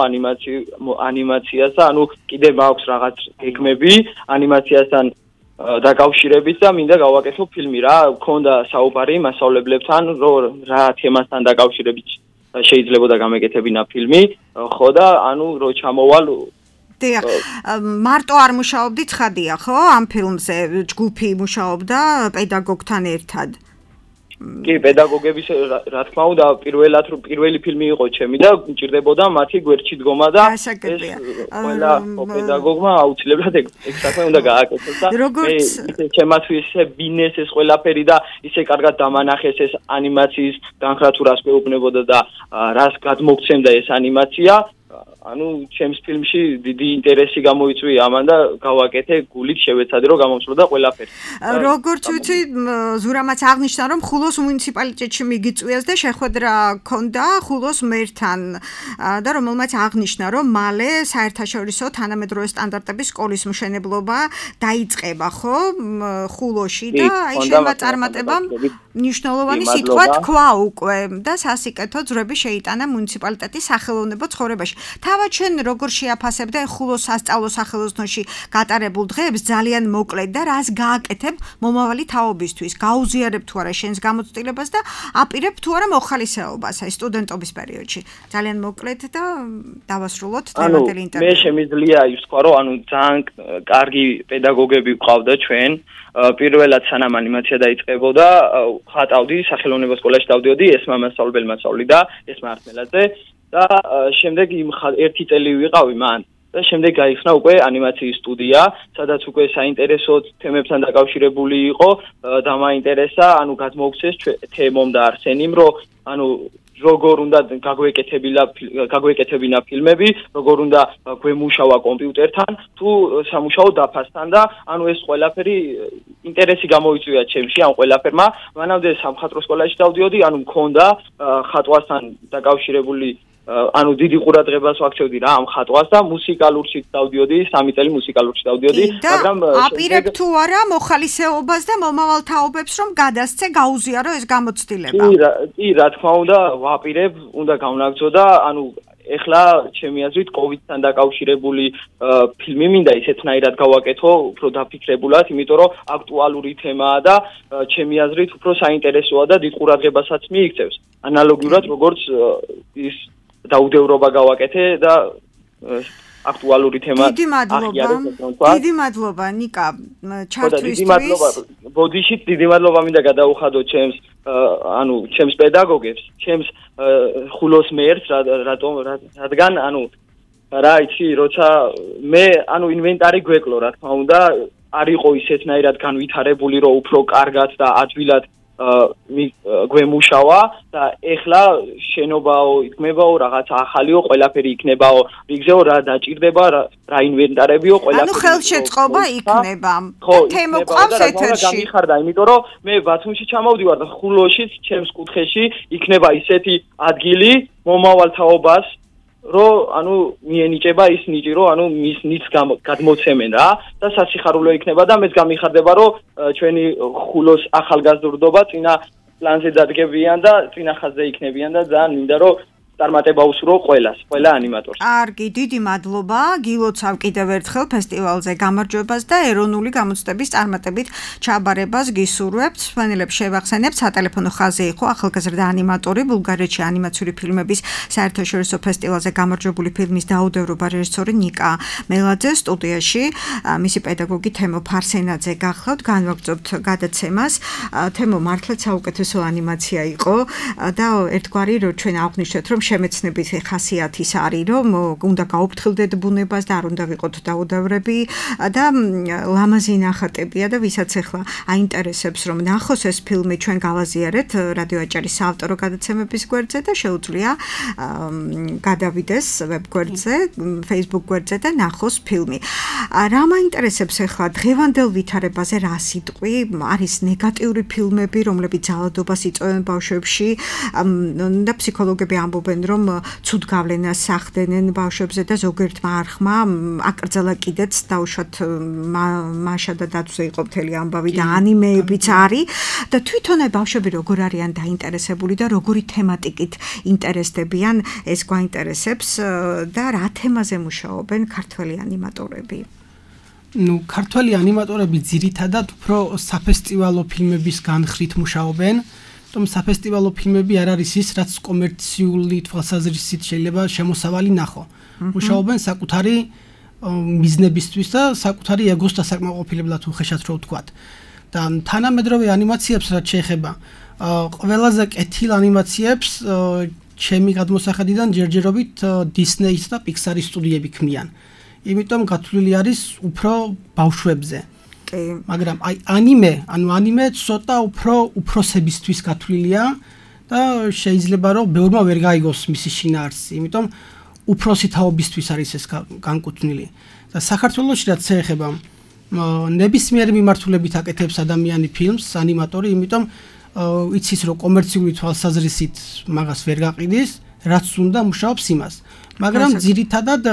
ანიმაციას და ანუ კიდე მაქვს რაღაც გეგმები ანიმაციასთან დაკავშირებით და მინდა გავაკეთო ფილმი რა, მქონდა საუბარი მასწავლებლებთან, რომ რა თემასთან დაკავშირებით შეიძლებოდა გამეკეთებინა ფილმი, ხო და ანუ რო ჩამოვალ დიახ, მარტო არ მუშაობდი ცხადია, ხო? ამ ფილმზე ჯგუფი მუშაობდა პედაგოგთან ერთად. კი, პედაგოგების რა თქმა უნდა, პირველი ფილმი იყო ჩემი და მჭირდებოდა მათი გვერდში დგომა და ეს ყველა პედაგოგმა აუცილებლად ეგ საქმე უნდა გააკეთოს და ჩემთვის ბინეს ეს ყველაფერი და ისე კარგად დამანახეს ეს ანიმაციის განხრა თუ რას მეუბნებოდა და რას გადმოგცემდა ეს ანიმაცია ანუ ჩემს ფილმში დიდი ინტერესი გამოიწვია ამან და გავაკეთე გულით შევეცადე რომ გამომსვლოდა ყველაფერი. როგორც ვიცი, ზურამაც აღნიშნა რომ ხულოს მუნიციპალიტეტში მიგიწვიეს და შეხვედრა ჰქონდა ხულოს მერთან და რომელმაც აღნიშნა რომ მალე საერთაშორისო თანამედროვე სტანდარტების სკოლის მშენებლობა დაიწყება, ხო? ხულოში და აი შემა წარმატებამ ნიშნულოვანი სიტყვა თქვა უკვე და სასიკეთო ძრები შეიტანა მუნიციპალიტეტის სახელოვნებო ცხოვრებაში. თავად შენ როგორ შეაფასებდა ხულოს სასწავლო სახელოსნოში გატარებულ დღეებს ძალიან მოკლედ და რას გააკეთებ მომავალი თაობისთვის? გაუზიარებ თუ არა შენს გამოცდილებას და აპირებ თუ არა მოხალისეობას აი სტუდენტობის პერიოდში? ძალიან მოკლედ და დავასრულოთ თემატელი ინტერვიუ. მე შემიძლია ის ვთქვა რომ ანუ ძალიან კარგი პედაგოგები გვყავდა ჩვენ პირველად სანამ ანიმაცია დაიწყებოდა ხატავდი სახელოვნებო სკოლაში დავდიოდი ესმა მასწავლებელმა სწავლიდა ესმა არტმელაძე და შემდეგ ერთი წელი ვიყავი მან და შემდეგ გაიხსნა უკვე ანიმაციის სტუდია, სადაც უკვე საინტერესო თემებთან დაკავშირებული იყო და მაინტერესა, ანუ გადმოგვცეს თემომ და არსენიმ, რომ ანუ როგორ უნდა გაგვეკეთებინა ფილმები, როგორ უნდა გვემუშავა კომპიუტერთან, თუ სამუშაო დაფასთან და ანუ ეს ყველაფერი ინტერესი გამოიწვია ჩემში ამ ყველაფერმა. მანამდე სამხატვრო სკოლაში დავდიოდი, ანუ მქონდა ხატვასთან დაკავშირებული ანუ დიდი ყურადღებას ვაქცევდი რა ამ ხატვას და მუსიკალურში დავდიოდი, 3 წელი მუსიკალურში დავდიოდი, მაგრამ აპირებ თუ არა მოხალისეობას და მომავალ თაობებს რომ გადასცე გაუზიარო ეს გამოცდილება. კი, რა თქმა უნდა, ვაპირებ, უნდა გავნაგრძო და ანუ ეხლა ჩემი აზრით კოვიდთან დაკავშირებული ფილმი მინდა ისეთნაირად გავაკეთო, უფრო დაფიქრებულად, იმიტომ რომ აქტუალური თემაა და ჩემი აზრით უფრო საინტერესოა და დიდ ყურადღებასაც მიიქცევს. ანალოგიურად როგორც ის დაუდევრობა გავაკეთე და აქტუალური თემა დიდი მადლობა ნიკა ჩართვისთვის ბოდიშით დიდი მადლობა მინდა გადაუხადო ჩემს პედაგოგებს ჩემს ხულოს მერს რადგან ანუ რა იცი როცა მე ანუ ინვენტარი გვეკლო რა თქმა უნდა არ იყო ისეთნაირად განვითარებული რომ უფრო კარგად და ადვილად გვემუშავა და ეხლა შენობაო იქნებაო რაღაც ახალიო ყველაფერი იქნებაო რიგზეო რა დაჭირდება რა ინვენტარებიო ყველაფერი ანუ ხელშეწყობა იქნება თემო ყავს ეთერში გამიხარდა იმიტომ რომ მე ბათუმში ჩამოვდივარ და ხულოშიც ჩემს კუთხეში იქნება ისეთი ადგილი მომავალ თაობას რომ ანუ მიენიჭება ის ნიჭი რომ ანუ მის ნიჭს გადმოცემენ რა და სასიხარულო იქნება და მეც გამიხარდება რომ ჩვენი ხულოს ახალგაზრდობა წინა პლანზე დადგებიან და წინა ხაზზე იქნებიან და ძალიან მინდა რომ წარმატება უსურო ყველა ანიმატორს. კარგი, დიდი მადლობა. გილოცავ კიდევ ერთხელ ფესტივალზე გამარჯვებას და ეროვნული გამოცდების წარმატებით ჩაბარებას გისურვებთ. სვენელებს შევახსენებთ, სატელეფონო ხაზზე იყო ახალგაზრდა ანიმატორი, ბულგარეთში ანიმაციური ფილმების საერთაშორისო ფესტივალზე გამარჯვებული ფილმის დაუდევრობა რეჟისორი ნიკა მელაძე სტუდიაში, მისი პედაგოგი თემო ფარსენაძე გახლავთ, განვაგრძობთ გადაცემას. თემო მართლაც საუკეთესო ანიმაცია იყო და ერთგვარი რომ ჩვენ აღვნიშნეთ რომ შემეცნებით ხასიათის არის რომ უნდა გაუფრთხილდეთ ბუნებას და არ უნდა ვიყოთ დაუდევრები და ლამაზი ნახატებია და ვისაც ახლა აინტერესებს რომ ნახოს ეს ფილმი ჩვენ გავაზიარეთ რადიო აჭარის საავტორო გადაცემების გვერდზე და შეუძლია გადავიდეს ვებ გვერდზე, Facebook გვერდზე და ნახოს ფილმი. რა მაინტერესებს ახლა დღევანდელ ვითარებაზე რა სიტყვი არის ნეგატიური ფილმები რომლებიც ძალადობას იწვევენ ბავშვებში და ფსიქოლოგები ამბობენ რომ ცუდ გავლენას ახდენენ ბავშვებზე და ზოგიერთმა არხმა აკრძალა კიდეც დაუშვათ მაშა და დაცვზე იყო მთელი ამბავი და ანიმეებიც არის და თვითონ ბავშვები როგორ არიან დაინტერესებული და როგორი თემატიკით ინტერესდებიან ეს გვაინტერესებს და რა თემაზე მუშაობენ ქართველი ანიმატორები? ქართველი ანიმატორები ძირითადად უფრო საფესტივალო ფილმების განხრით მუშაობენ. საფესტივალო ფილმები არ არის ის, რაც კომერციული თვალსაზრისით შეიძლება შემოსავალი ნახო. მუშაობენ საკუთარი მიზნებისთვის და საკუთარი ეგოს დასაკმაყოფილებლად უხეშად რო ვთქვათ. და თანამედროვე ანიმაციებს რაც შეეხება, ყველაზე კეთილ ანიმაციებს ჩემი გადმოსახედიდან ჯერჯერობით Disney-ის და Pixar-ის სტუდიები ქმნიან. იმიტომ გათვლილი არის უფრო ბავშვებზე. კი. მაგრამ აი ანიმე ცოტა უფრო უფროსებისთვის გათვლილია და შეიძლება რომ ბევრმა ვერ გაიგოს მისი შინაარსი. იმიტომ უფროსი თაობისთვის არის ეს განკუთვნილი. და საქართველოში რაც შეეხება ნებისმიერი მიმართულებით აკეთებს ადამიანი ფილმს, ანიმატორი, იმიტომ იცის რომ კომერციული თვალსაზრისით მაგას ვერ გაყიდის, რაც უნდა მუშაობს იმას. მაგრამ ძირითადად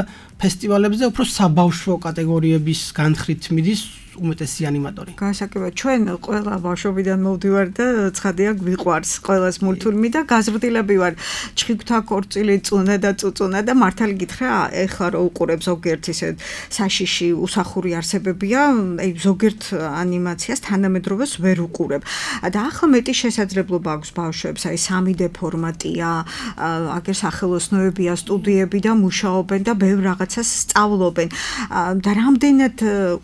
ფესტივალებზე უფრო საბავშვო კატეგორიების განხრით მიდის უმეტესი ანიმატორი. გასაკეთებია, ჩვენ ყველა ბავშვობიდან მოვდივარ და ცხადია გვიყვარს ყველას მულტფილმი და გაზრდილები ვარ. ჩხიკვთა ქორწილი, წუნა და წუწუნა და მართალი გითხრა, ეხლა რო უყურებ ზოგიერთ ისე საშიში უსახური არსებებია, აი ზოგიერთ ანიმაციას თანამედროვეს ვერ უყურებ. და ახლა მეტი შესაძლებლობა აქვს ბავშვებს, აი 3D ფორმატია, აგერ სახელოსნოებია, სტუდიები და მუშაობენ და ბევრ რაღაცას სწავლობენ. და რამდენად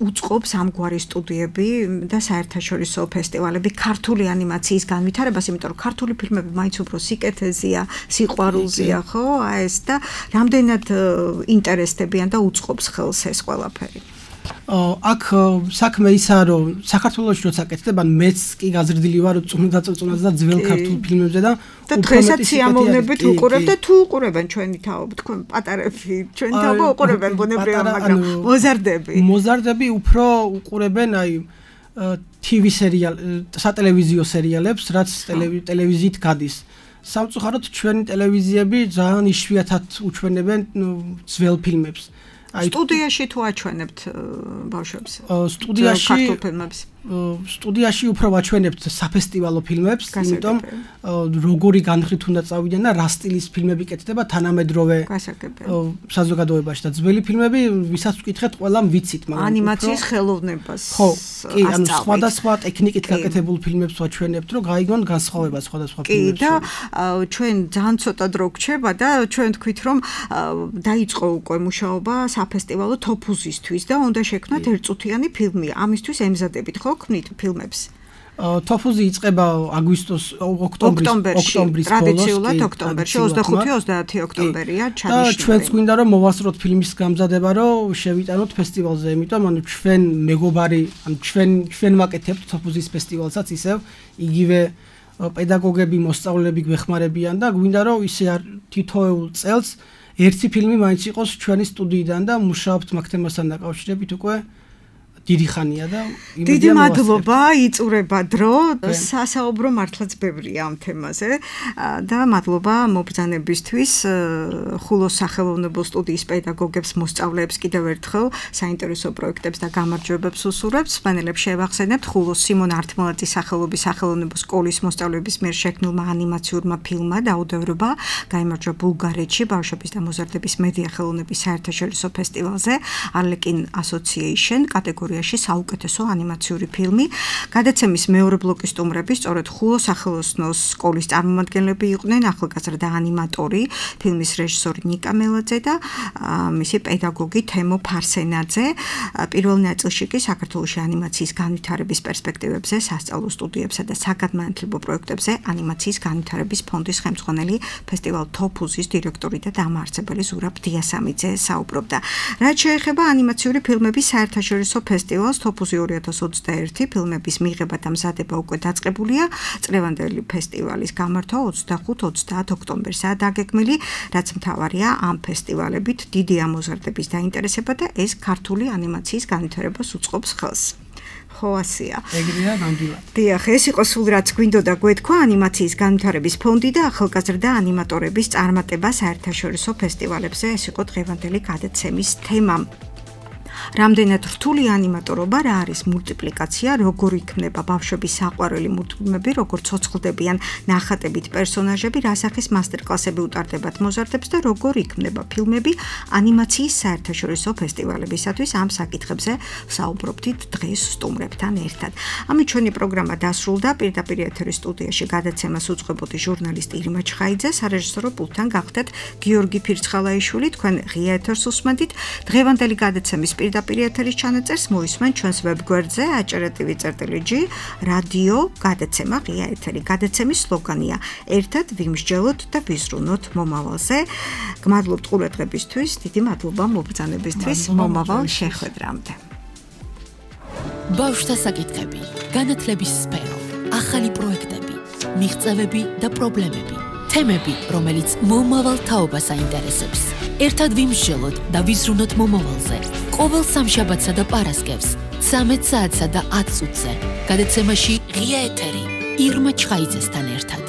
უწყობს ამ გვარი სტუდიები და საერთაშორისო ფესტივალები ქართული ანიმაციის განვითარებას, იმიტომ რომ ქართული ფილმები მაინც უფრო სიკეთეზეა, სიყვარულზეა, ხო? აი ეს და რამდენად ინტერესდებიან და უწყობს ხელს ეს ყველაფერი. აქ საქმე ისაა, რომ საქართველოში როცა აკეთებენ, მეც კი გაზრდილი ვარ წუნდაწუნაზე და ძველ ქართულ ფილმებზე და დღესაც სიამოვნებით უყურებ და თუ უყურებენ ჩვენი თაობა, თქვენ პატარები, ჩვენი თაობა უყურებენ ბუნებრივად, მაგრამ მოზარდები უფრო უყურებენ აი TV სერიალ, სატელევიზიო სერიალებს, რაც ტელევიზიით გადის. სამწუხაროდ ჩვენი ტელევიზიები ძალიან იშვიათად უჩვენებენ ძველ ფილმებს. სტუდიაში თუ აჩვენებთ ბავშვებს? სტუდიაში ქართულ ფილმებს. სტუდიაში უფრო ვაჩვენებთ საფესტივალო ფილმებს, იმიტომ როგორი განხრით უნდა წავიდიან და რა სტილის ფილმები კეთდება თანამედროვე საზოგადოებაში და ძველი ფილმები, ვისაც ვკითხეთ, ყველამ ვიცით, მაგრამ ანიმაციის ხელოვნებას. ხო, კი, ანუ სხვადასხვა ტექნიკით გაკეთებულ ფილმებს ვაჩვენებთ, რომ გაიგონ განსხვავება სხვადასხვა ფილმებში. კი, და ჩვენ ძალიან ცოტა დრო გრჩება და ჩვენ თქვით, რომ დაიწყო უკვე მუშაობა საფესტივალო თოფუზისთვის და უნდა შექმნათ ერთწუთიანი ფილმი. ამისთვის ემზადებით ხო ქმნით ფილმებს? თოფუზი იწყება ოქტომბრის ტრადიციულად ოქტომბერში 25-30 ოქტომბერია ჩანიშნული. და ჩვენც გვინდა რომ მოვასწროთ ფილმის გამზადება, რომ შევიტანოთ ფესტივალზე, იმიტომ ანუ ჩვენ მეგობარი, ანუ ჩვენ ვაკეთებთ თოფუზის ფესტივალსაც ისევ იგივე პედაგოგები, მოსწავლეები გვეხმარებიან და გვინდა რომ ისე თითოეულ წელს ერთი ფილმი მაინც იყოს ჩვენი სტუდიიდან და მუშაობთ მაგ თემასთან დაკავშირებით უკვე დიდი ხანია და დიდი მადლობა, იწურება დრო, სასაუბრო მართლაც ბევრია ამ თემაზე და მადლობა მობრძანებისთვის ხულოს სახელოვნებო სტუდიის პედაგოგებს, მოსწავლეებს კიდევ ერთხელ საინტერესო პროექტებს და გამარჯვებებს უსურვებთ. სპენელებს შევახსენებთ ხულოს სიმონ ართმალაძის სახელობის სახელოვნებო სკოლის მოსწავლეების მიერ შექმნილმა ანიმაციურმა ფილმმა დაუდევრობა გაიმარჯვა ბულგარეთში ბავშვების და მოზარდების მედია ხელოვნების საერთაშორისო ფესტივალზე Arlekin Association კატეგორიაში საუკეთესო ანიმაციური ფილმი. გადაცემის მეორე ბლოკის სტუმრები სწორედ ხულოს სახელოსნოს სკოლის წარმომადგენლები იყვნენ, ახალგაზრდა ანიმატორი, ფილმის რეჟისორი ნიკა მელაძე და მისი პედაგოგი თემო ფარსენაძე. პირველ ნაწილში კი საქართველოში ანიმაციის განვითარების პერსპექტივებზე, სასწავლო სტუდიებსა და საგანმანათლებლო პროექტებზე ანიმაციის განვითარების ფონდის ხელმძღვანელი ფესტივალ თოფუზის დირექტორი და დამაარსებელი ზურაბ დიასამიძე საუბრობდა. რაც შეეხება ანიმაციური ფილმების საერთაშორისო ფესტივალს თოფუზი 2021 ფილმების მიღება და მზადება უკვე დაწყებულია. წლევანდელი ფესტივალის გამართვა 25-30 ოქტომბერსაა დაგეგმილი, რაც მთავარია ამ ფესტივალებით დიდი ამოზარდების დაინტერესება და ეს ქართული ანიმაციის განვითარებას უწყობს ხელს. ხო, ასია. ეგრეა, ნამდვილად. დიახ, ეს იყო სულ რაც გვინდოდა გვეთქვა ანიმაციის განვითარების ფონდი და ახალგაზრდა ანიმატორების წარმატება საერთაშორისო ფესტივალებზე. ეს იყო დღევანდელი გადაცემის თემა. რამდენად რთული ანიმატორობა, რა არის მულტიპლიკაცია, როგორ იქნება ბავშვების საყვარელი მულტფილმები, როგორ ცოცხლდებიან ნახატებით პერსონაჟები, რა სახის მასტერკლასები utardebათ მოზარდებს და როგორ იქნება ფილმები ანიმაციის საერთაშორისო ფესტივალებისათვის. ამ საკითხებზე საუბრობდით დღეს სტუმრებთან ერთად. ამით ჩვენი პროგრამა დასრულდა. პირდაპირ ეთერის სტუდიაში გადაცემას უწყებოდი ჟურნალისტი ირმა ჩხაიძე, სარეჟისორო პულტთან გახდეთ გიორგი ფირცხალაიშვილი. თქვენ ღია ეთერს უსმენთ. დღევანდელი გადაცემის პირდაპირ ეთერის ჩანაწერს მოისმენ ჩვენს ვებგვერდზე aჭრტv.g რადიო გადაცემა ღია ეთერი. გადაცემის სლოგანია: ერთად ვიმსჯელოთ და ვიზრუნოთ მომავალზე. გმადლობთ ყურადღებისთვის, დიდი მადლობა მობრძანებისთვის. მომავალ შეხვედრამდე. ბავშვთა საკითხები, განათლების სფერო, ახალი პროექტები, მიღწევები და პრობლემები. თემები, რომელიც მომავალ თაობას აინტერესებს. ერთად ვიმსჯელოთ და ვიზრუნოთ მომავალზე. ყოველ სამშაბათსა და პარასკევს 13 საათსა და 10 წუთზე. გადაცემაში ღია ეთერი ირმა ჩხაიძესთან ერთად.